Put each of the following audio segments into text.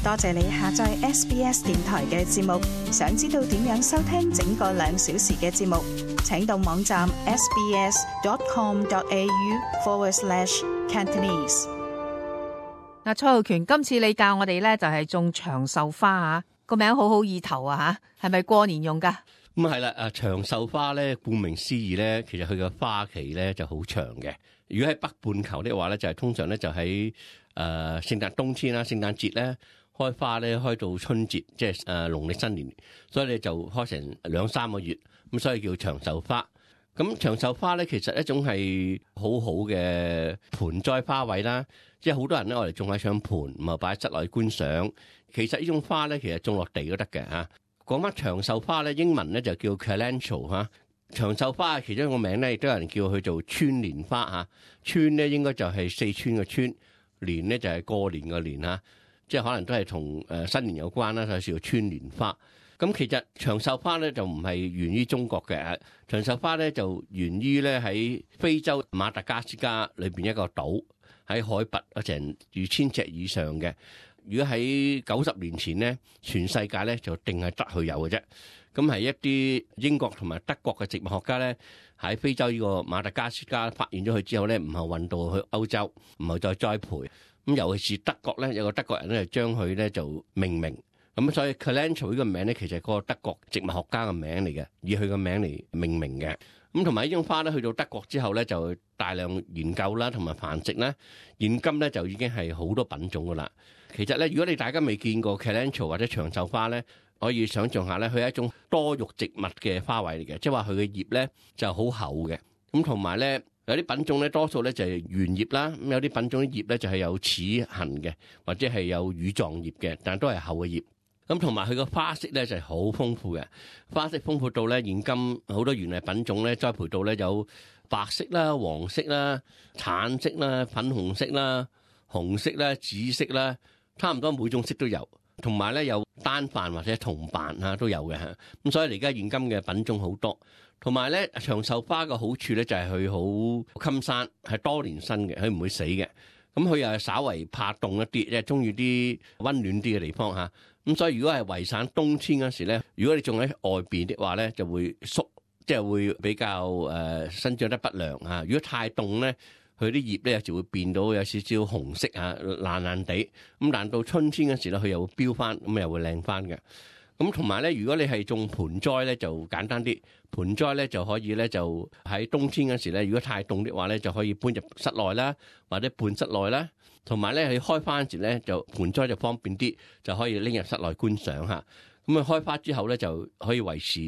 多謝你下載 SBS 電台嘅節目。想知道點樣收聽整個2小時嘅節目，請到網站 sbs.com.au/Cantonese。嗱，蔡浩權，今次你教我哋咧就係種長壽花啊，個名好好意頭啊吓，係咪過年用噶？咁係啦，長壽花咧，顧名思義咧，其實佢嘅花期咧就好長嘅。如果喺北半球的話咧，就係通常咧就喺聖誕冬天啦、聖誕節咧開花咧，開到春節，即係農曆新年，所以你就開成2-3個月，咁所以叫長壽花。咁長壽花咧，其實一種係好好嘅盆栽花卉啦，即係好多人咧我哋種喺上盆，唔係擺喺室內觀賞。其實呢種花咧，其實種落地都得嘅嚇。講翻長壽花咧，英文咧就叫 Calendula 嚇。長壽花其中一個名咧，亦都有人叫佢做川蓮花嚇。川咧應該就係四川嘅川，蓮咧就係過年嘅年嚇，即係可能都係同新年有關啦，所以叫川蓮花。咁其實長壽花咧就唔係源於中國嘅，長壽花咧就源於咧喺非洲馬達加斯加裏邊一個島，喺海拔成2000尺以上嘅。如果喺90年前咧，全世界咧就定係得佢有嘅啫。咁係一啲英國同埋德國嘅植物學家咧，喺非洲呢個馬達加斯加發現咗佢之後咧，唔係運到去歐洲，唔係再栽培。咁尤其是德國咧，有個德國人咧，將佢咧就命名。咁所以 Calendula 呢個名咧，其實係個德國植物學家嘅名嚟嘅，以佢個名嚟命名嘅。咁同埋呢種花咧，去到德國之後咧，就大量研究啦，同埋繁殖啦。現今咧就已經係好多品種噶啦。其實咧，如果你大家未見過 Calendula 或者長壽花咧，可以想象下咧，佢係一種多肉植物嘅花卉嚟嘅，即係話佢嘅葉咧就好厚嘅。咁同埋咧，有啲品種咧多數咧就係圓葉啦，咁有啲品種啲葉咧就係有齒痕嘅，或者係有乳狀葉嘅，但都係厚嘅葉。咁同埋佢個花色咧就係好豐富嘅，花色豐富到咧現今好多園藝品種咧栽培到咧有白色啦、黃色啦、橙色啦、粉紅色啦、紅色啦、紫色啦，差唔多每種色都有。同埋咧有單瓣或者同瓣都有嘅嚇。咁所以而家現今嘅品種好多。同埋咧長壽花嘅好處咧就係佢好襟生，係多年生嘅，佢唔會死嘅。咁佢又係稍為怕凍一啲，即係中意啲溫暖啲嘅地方嚇。咁所以如果係維省冬天嗰時咧，如果你種喺外邊的話咧，就會縮，即係會比較生長得不良啊。如果太凍咧，佢啲葉咧就會變到有少少紅色啊，爛爛地。咁但到春天嗰時咧，佢又會飆翻，咁又會靚翻嘅。咁同埋咧，如果你係種盆栽咧，就簡單啲。盆栽咧就可以咧，就喺冬天嗰時咧，如果太凍的話咧，就可以搬入室內啦，或者半室內啦。同埋咧，佢開花嗰時咧，就盆栽就方便啲，就可以拎入室內觀賞嚇。咁啊，開花之後咧，就可以維持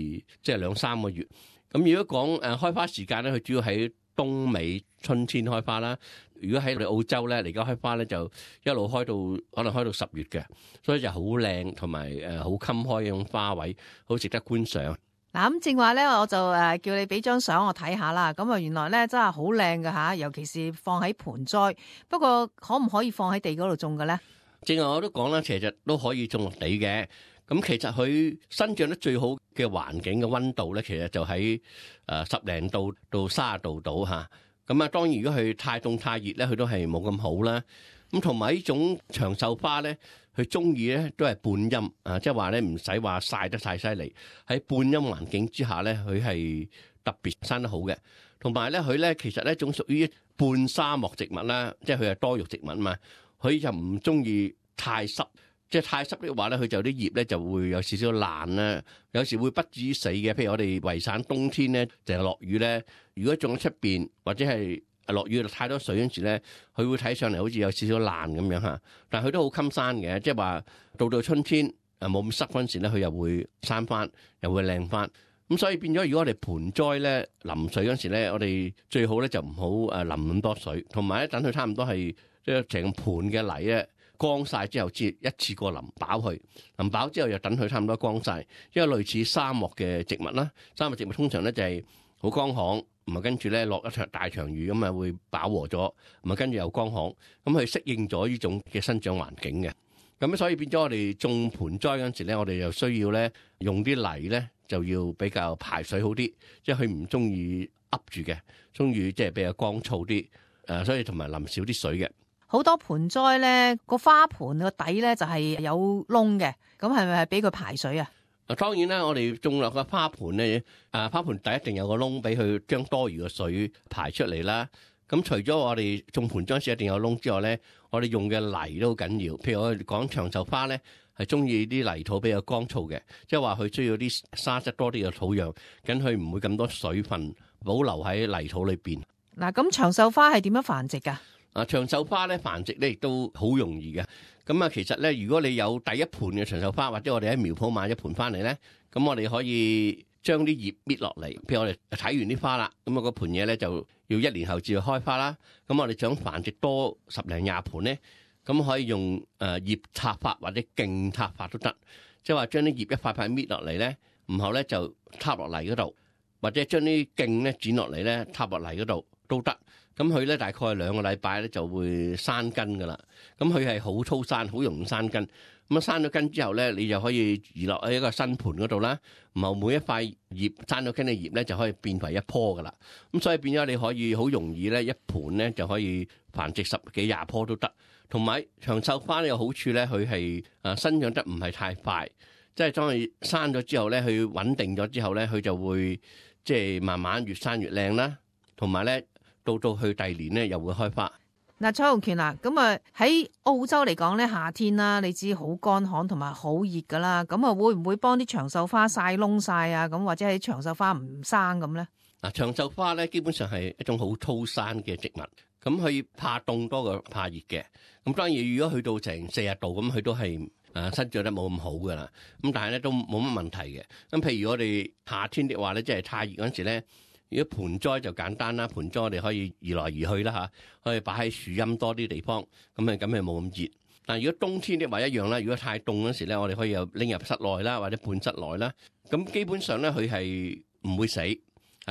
即係2-3個月。咁如果講開花時間咧，佢主要喺冬尾春天開花啦。如果喺我哋澳洲咧，嚟緊開花咧，就一路開到可能開到10月嘅，所以就好靚同埋好襟開嘅種花卉，好值得觀賞。嗱，咁正話咧，我就叫你俾張相我睇下啦。咁啊，原來咧真係好靚㗎吓，尤其是放喺盆栽。不過可唔可以放喺地嗰度種嘅咧？正話我都講啦，其實都可以種落地嘅。咁其實佢生長得最好嘅環境嘅溫度咧，其實就喺10零度到30度度嚇。咁啊，當然如果佢太凍太熱咧，佢都係冇咁好啦。咁同埋呢種長壽花咧，佢中意咧都係半陰啊，即係話咧唔使話曬得太犀利，喺半陰環境之下咧，佢係特別生得好嘅。同埋咧，佢咧其實咧一種屬於半沙漠植物啦，即係佢係多肉植物啊嘛，佢就唔中意太濕。即係太濕嘅話咧，佢就啲葉咧就會有少少爛啦，有時會不至於死嘅。譬如我哋維省冬天咧，淨係落雨咧，如果種喺出邊或者係落雨太多水嗰時咧，佢會睇上嚟好似有少少爛咁樣嚇。但係佢都好襟生嘅，即係話到春天冇咁濕嗰陣時咧，佢又會生翻，又會靚翻。咁所以變咗，如果我哋盆栽咧淋水嗰時咧，我哋最好咧就唔好淋咁多水，同埋咧等佢差唔多係即係成盆嘅泥咧。乾晒之後，先一次過淋飽佢，淋飽之後又等佢差唔多乾晒，因為類似沙漠嘅植物啦。沙漠植物通常咧就係好乾旱，唔係跟住咧落一場大場雨咁啊，會飽和咗，唔係跟住又乾旱，咁佢適應咗呢種嘅生長環境嘅。咁所以變咗我哋種盆栽嗰陣時咧，我哋又需要咧用啲泥咧就要比較排水好啲，即係佢唔中意噏住嘅，中意即係比較乾燥啲，所以同埋淋少啲水嘅。好多盆栽咧個花盆個底咧就係有窿嘅，咁係咪係俾佢排水啊？當然啦，我哋種落個花盆咧，花盆底一定有個窿俾佢將多餘嘅水排出嚟啦。咁除咗我哋種盆栽時一定有窿之外咧，我哋用嘅泥都好緊要。譬如我哋講長壽花咧，係中意啲泥土比較乾燥嘅，即係話佢需要啲沙質多啲嘅土壤，咁佢唔會咁多水分保留喺泥土裏邊。嗱，咁長壽花係點樣繁殖噶？長壽花咧繁殖咧亦都好容易嘅。咁啊，其實咧，如果你有第一盆嘅長壽花，或者我哋喺苗圃買一盆翻嚟咧，咁我哋可以將啲葉搣落嚟。譬如我哋睇完啲花啦，咁啊個盆嘢咧就要1年後至開花啦。咁我哋想繁殖多10零20盆咧，咁可以用葉插法或者莖插法都得。即係話將啲葉一塊塊搣落嚟咧，然後咧就插落泥嗰度，或者將啲莖咧剪落嚟咧插落泥嗰度都得。咁佢咧大概2個禮拜咧就會生根噶啦。咁佢係好粗生，好容易生根。咁啊生咗根之後咧，你就可以移落喺一個新盆嗰度啦。然後每一塊葉生咗根嘅葉咧就可以變為一棵噶啦。咁所以變咗你可以好容易咧一盆咧就可以繁殖10幾20棵都得。同埋長壽花呢有好處咧，佢係生長得唔係太快，即係當佢生咗之後咧，佢穩定咗之後咧，佢就會即係慢慢越生越靚啦。同埋咧。到去第2年咧，又會開花。嗱，蔡浩權啊，咁啊喺澳洲嚟講咧，夏天啦，你知好乾旱同埋好熱噶啦，咁啊會唔會幫啲長壽花曬窿曬啊？咁或者係長壽花唔生咁咧？嗱，長壽花咧基本上係一種好粗生嘅植物，咁佢怕凍多過怕熱嘅。咁當然，如果去到成40度咁，佢都係生長得冇咁好噶啦。咁但係咧都冇乜問題嘅。咁譬如我哋夏天的話咧，即係太熱嗰陣時咧。如果盆栽就簡單啦，盆栽我哋可以移來移去啦嚇，可以擺喺樹蔭多啲地方，咁係冇咁熱。但係如果冬天的話一樣啦，如果太凍嗰時咧，我哋可以又拎入室內啦，或者半室內啦。咁基本上咧，佢係唔會死，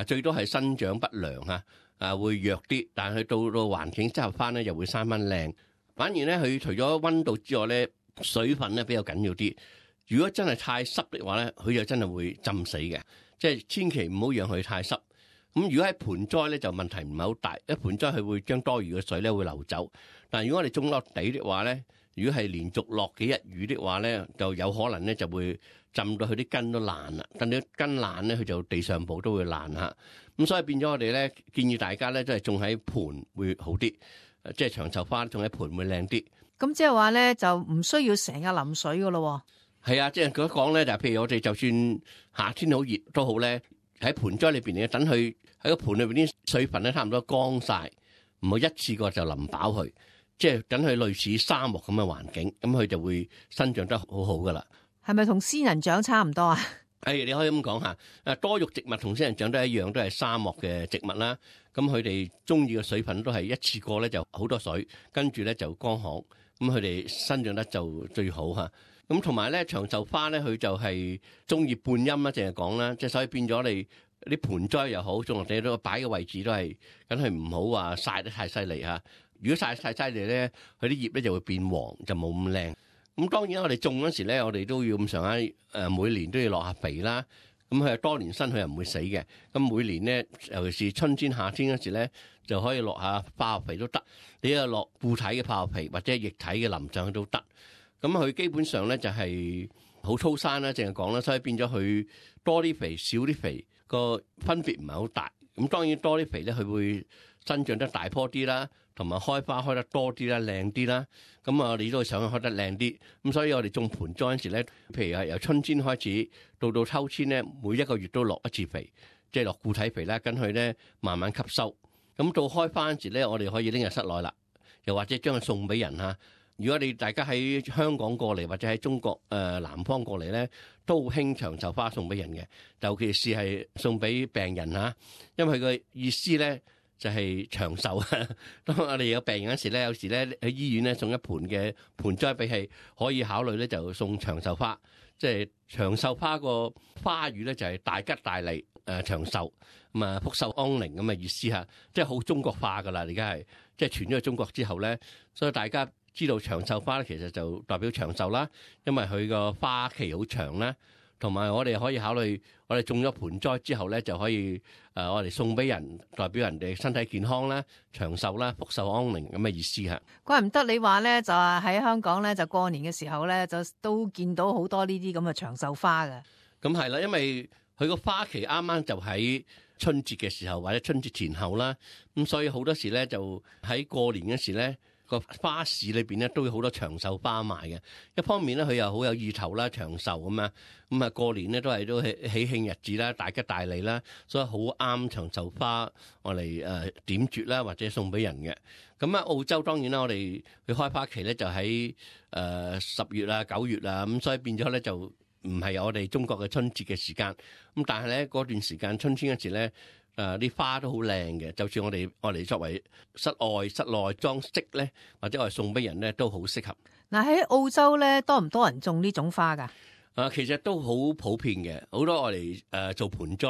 最多係生長不良嚇，會弱啲。但係佢到環境適合翻咧，又會生翻靚。反而咧，佢除咗溫度之外咧，水分咧比較緊要啲。如果真係太濕的話咧，佢就真係會浸死嘅。即係千祈唔好讓佢太濕。咁如果喺盆栽咧就問題唔係好大，一盆栽佢會將多餘嘅水咧會流走。但係如果我哋種落地的話咧，如果係連續落幾日雨的話咧，就有可能咧就會浸到佢啲根都爛啦。等到根爛咧，佢就地上部都會爛嚇。咁所以變咗我哋咧建議大家咧都係種喺盆會好啲，即係長壽花種喺盆會靚啲。咁即係話咧就唔需要成日淋水噶咯。係啊，即係佢講咧就譬如我哋就算夏天好熱都好咧，喺盆栽裏邊咧等佢。喺個盆裏邊啲水分咧差唔多乾晒，唔好一次過就淋飽佢，即係等佢類似沙漠咁嘅環境，咁佢就會生長得好好噶啦。係咪同仙人掌差唔多啊？你可以咁講下，多肉植物同仙人掌都一樣，都係沙漠嘅植物啦。咁佢哋中意嘅水分都係一次過咧就好多水，跟住咧就乾旱，咁佢哋生長得就最好嚇。咁同埋咧長壽花咧，佢就係中意半陰啦，淨係講啦，即係所以變咗你。啲盆栽又好，種落地都擺嘅位置都係，梗係唔好話曬得太犀利嚇。如果曬太犀利咧，佢啲葉咧就會變黃，就冇咁靚。咁當然我哋種嗰時咧，我哋都要咁上下每年都要落下肥啦。咁佢係多年生，佢又唔會死嘅。咁每年咧，尤其是春天、夏天嗰時咧，就可以落下化學肥都得。你又落固體嘅化學肥或者液體嘅淋上去都得。咁佢基本上咧就係好粗生啦，淨係講啦，所以變咗佢多啲肥少啲肥。個分別唔係好大，咁當然多啲肥咧，佢會生長得大棵啲啦，同埋開花開得多啲啦，靚啲啦。咁我哋都想開得靚啲，咁所以我哋種盆栽嗰時咧，譬如係由春天開始到秋天咧，每1個月都落一次肥，即係落固體肥啦，跟佢咧慢慢吸收。咁到開花嗰時咧，我哋可以拎入室內啦，又或者將佢送俾人嚇。如果你大家喺香港過嚟或者喺中國南方過嚟咧，都好興長壽花送俾人嘅，尤其是係送俾病人嚇，因為佢個意思咧就係長壽。當我哋有病人嗰時咧，有時咧喺醫院咧送一盆嘅盆栽俾佢，可以考慮咧就送長壽花。即係長壽花個花語咧就係大吉大利長壽，咁啊福壽安寧咁嘅意思嚇，即係好中國化噶啦。而家係即係傳咗去中國之後咧，所以大家知道長壽花咧其實就代表長壽啦，因為佢個花期好長啦，同埋我哋可以考慮，我哋種咗盆栽之後咧，就可以我哋送俾人，代表人哋身體健康啦、長壽啦、福壽安寧咁嘅意思嚇。怪唔得你話咧，就係喺香港咧，就過年嘅時候咧，就都見到好多呢啲咁嘅長壽花嘅。咁係啦，因為佢個花期啱啱就喺春節嘅時候或者春節前後啦，咁所以好多時咧就喺過年嗰時咧，個花市裏邊咧都有好多長壽花賣嘅。一方面咧佢又好有意頭啦，長壽咁啊，咁啊過年咧都喜慶日子啦，大吉大利啦，所以好啱長壽花我嚟點綴啦，或者送俾人嘅。咁啊澳洲當然啦，我哋佢開花期咧就喺10月啊9月啊，咁所以變咗咧就唔係我哋中國嘅春節嘅時間。咁但係咧嗰段時間春天嗰時咧，啲花都好靚嘅，就算我哋作為室內裝飾咧，或者我哋送俾人咧都好適合。嗱喺澳洲咧，多唔多人種呢種花㗎？其實都好普遍嘅，好多我哋做盆栽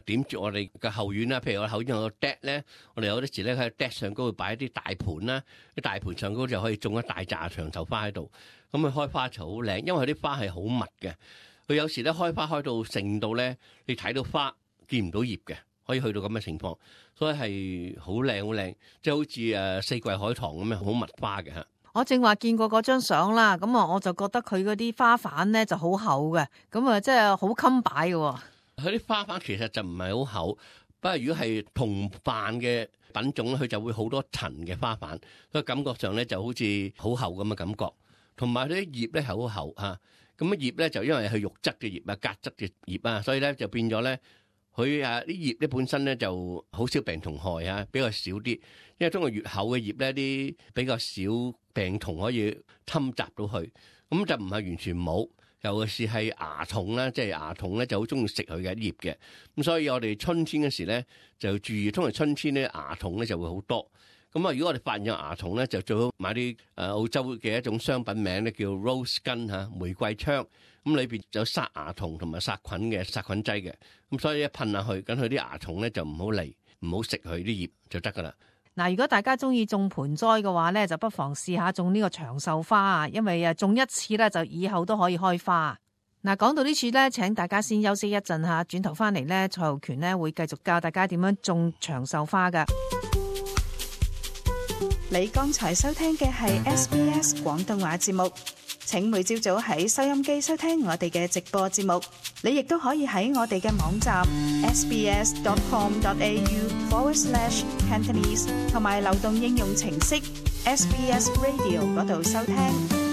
點住我哋嘅後院啦。譬如我後院有個 deck 咧，我哋有啲時咧喺 deck 上高會擺一啲大盆啦，啲大盆上高就可以種一大紮長壽花喺度。咁佢開花就好靚，因為佢啲花係好密嘅。佢有時咧開花開到盛到咧，你睇到花見唔到葉嘅。可以去到咁嘅情況，所以係好靚好靚，即係好似四季海棠咁樣好密花嘅嚇。我正話見過嗰張相啦，咁啊我就覺得佢嗰啲花瓣咧就好厚嘅，咁啊即係好襟擺嘅。佢啲花瓣其實就唔係好厚，不過如果係同瓣嘅品種咧，佢就會好多層嘅花瓣，所以感覺上咧就好似好厚咁嘅感覺。同埋佢啲葉咧係好厚嚇，咁啊葉咧就因為係肉質嘅葉啊、革質嘅葉啊，所以咧就變咗咧。佢啲葉咧本身咧就好少病蟲害啊，比較少啲。因為通過越厚嘅葉咧，啲比較少病蟲可以侵襲到去，咁就唔係完全冇。尤其是係蚜蟲啦，即係蚜蟲咧就好中意食佢嘅葉嘅。咁所以我哋春天嗰時咧就要注意，通常春天咧蚜蟲咧就會好多。咁啊，如果我哋發現有蚜蟲咧，就最好買啲澳洲嘅一種商品名咧叫 Rose Gun 嚇，玫瑰槍。咁裏邊有殺蚜蟲同埋殺菌嘅殺菌劑嘅，咁所以一噴下去，咁佢啲蚜蟲咧就唔好嚟，唔好食佢啲葉就得噶啦。嗱，如果大家中意種盆栽嘅話咧，就不妨試下種呢個長壽花啊，因為種一次咧就以後都可以開花。嗱，講到呢處咧，請大家先休息一陣嚇，轉頭翻嚟咧，蔡浩權咧會繼續教大家點樣種長壽花噶。你剛才收聽嘅係 SBS 廣東話節目。請每朝早喺收音機收聽我哋嘅直播節目，你亦都可以喺我哋嘅網站 sbs.com.au/Cantonese 同埋流動應用程式 SBS Radio 嗰度收聽。